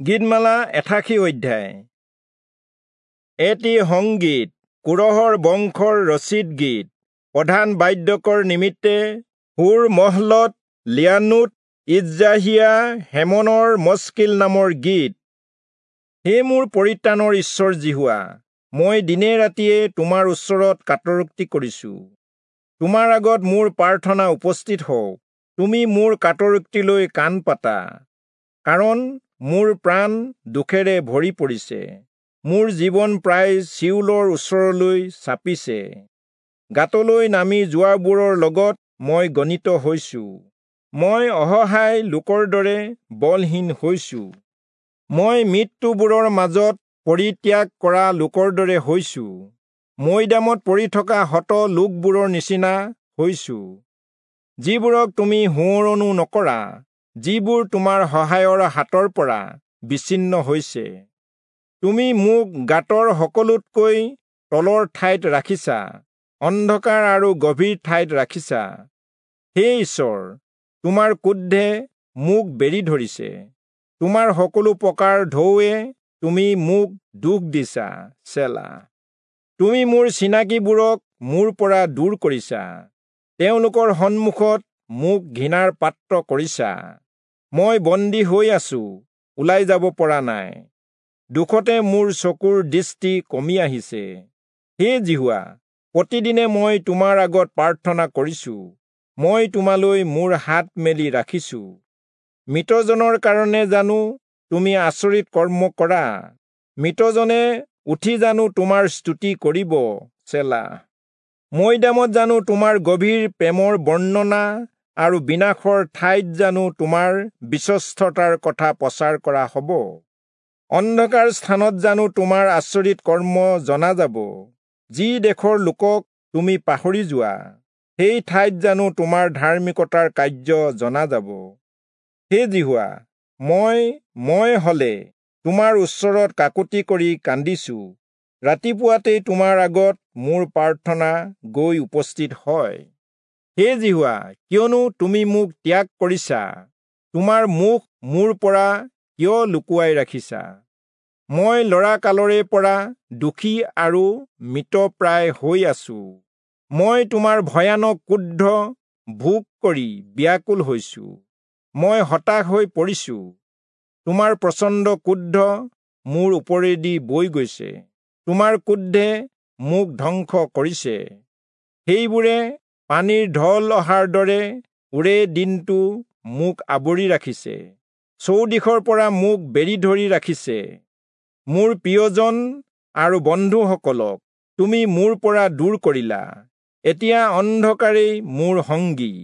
গীতমালা ৮৮ অধ্যায়। এটি সংগীত, কোৰহৰ বংশৰ ৰচিত গীত, প্ৰধান বাদ্যকৰ নিমিত্তে সুৰ মহলত লিয়ানোত ইজ্ৰাহিয়া হেমনৰ মস্কিল নামৰ গীত। হে মোৰ পৰিত্ৰাণৰ ঈশ্বৰ যিহোৱা, মই দিনে ৰাতিয়ে তোমাৰ ওচৰত কাতৰোক্তি কৰিছো। তোমাৰ আগত মোৰ প্ৰাৰ্থনা উপস্থিত হওক, তুমি মোৰ কাতৰোক্তিলৈ কাণ পাতা। কাৰণ মোৰ প্ৰাণ দুখেৰে ভৰি পৰিছে, মোৰ জীৱন প্ৰায় চিউলৰ ওচৰলৈ চাপিছে। গাঁতলৈ নামি যোৱাবোৰৰ লগত মই গণিত হৈছো, মই অসহায় লোকৰ দৰে বলহীন হৈছো। মই মৃত্যুবোৰৰ মাজত পৰিত্যাগ কৰা লোকৰ দৰে হৈছো, মৈদামত পৰি থকা হত লোকবোৰৰ নিচিনা হৈছো, যিবোৰক তুমি সোঁৱৰণো নকৰা, যিবোৰ তোমাৰ সহায়ৰ হাতৰ পৰা বিচ্ছিন্ন হৈছে। তুমি মোক গাঁতৰ সকলোতকৈ তলৰ ঠাইত ৰাখিছা, অন্ধকাৰ আৰু গভীৰ ঠাইত ৰাখিছা। হে ঈশ্বৰ, তোমাৰ ক্ৰোধে মোক বেৰি ধৰিছে, তোমাৰ সকলো প্ৰকাৰ ঢৌৱে তুমি মোক দুখ দিছা। চেলা। তুমি মোৰ চিনাকিবোৰক মোৰ পৰা দূৰ কৰিছা, তেওঁলোকৰ সন্মুখত মোক ঘৃণাৰ পাত্ৰ কৰিছা। মই বন্দী হৈ আছো, ওলাই যাব পৰা নাই, দুখতে মোৰ চকুৰ দৃষ্টি কমি আহিছে। হে যিহোৱা, প্ৰতিদিনে মই তোমাৰ আগত প্ৰাৰ্থনা কৰিছো, মই তোমালৈ মোৰ হাত মেলি ৰাখিছো। মৃতজনৰ কাৰণে জানো তুমি আচৰিত কৰ্ম কৰা, মৃতজনে উঠি জানো তোমাৰ স্তুতি কৰিব? চেলা। মৈদামত জানো তোমাৰ গভীৰ প্ৰেমৰ বৰ্ণনা আৰু বিনাশৰ ঠাইত জানো তোমাৰ বিশ্বস্ততাৰ কথা প্ৰচাৰ কৰা হ'ব? অন্ধকাৰ স্থানত জানো তোমাৰ আচৰিত কৰ্ম জনা যাব? যি দেশৰ লোকক তুমি পাহৰি যোৱা, সেই ঠাইত জানো তোমাৰ ধাৰ্মিকতাৰ কাৰ্য জনা যাব? হে যিহোৱা, মই হলে তোমাৰ ওচৰত কাকুতি কৰি কান্দিছো, ৰাতিপুৱাতেই তোমাৰ আগত মোৰ প্ৰাৰ্থনা গৈ উপস্থিত হয়। হে যিহোৱা, কিয়নো তুমি মোক ত্যাগ কৰিছা, তোমাৰ মুখ মোৰ পৰা কিয় লুকুৱাই ৰাখিছা? মই ল'ৰা কালৰে পৰা দুখী আৰু মৃতপ্ৰায় হৈ আছো, মই তোমাৰ ভয়ানক ক্ৰোধ ভোগ কৰি ব্যাকুল হৈছো। মই হতাশ হৈ পৰিছো, তোমাৰ প্ৰচণ্ড ক্ৰোধ মোৰ ওপৰেদি বৈ গৈছে, তোমাৰ ক্ৰোধে মোক ধ্বংস কৰিছে। সেইবোৰে পানীৰ ঢল অহাৰ দৰে ওৰে দিনটো মোক আৱৰি ৰাখিছে, চৌদিশৰ পৰা মোক বেৰি ধৰি ৰাখিছে। মোৰ প্ৰিয়জন আৰু বন্ধুসকলক তুমি মোৰ পৰা দূৰ কৰিলা, এতিয়া অন্ধকাৰেই মোৰ সংগী।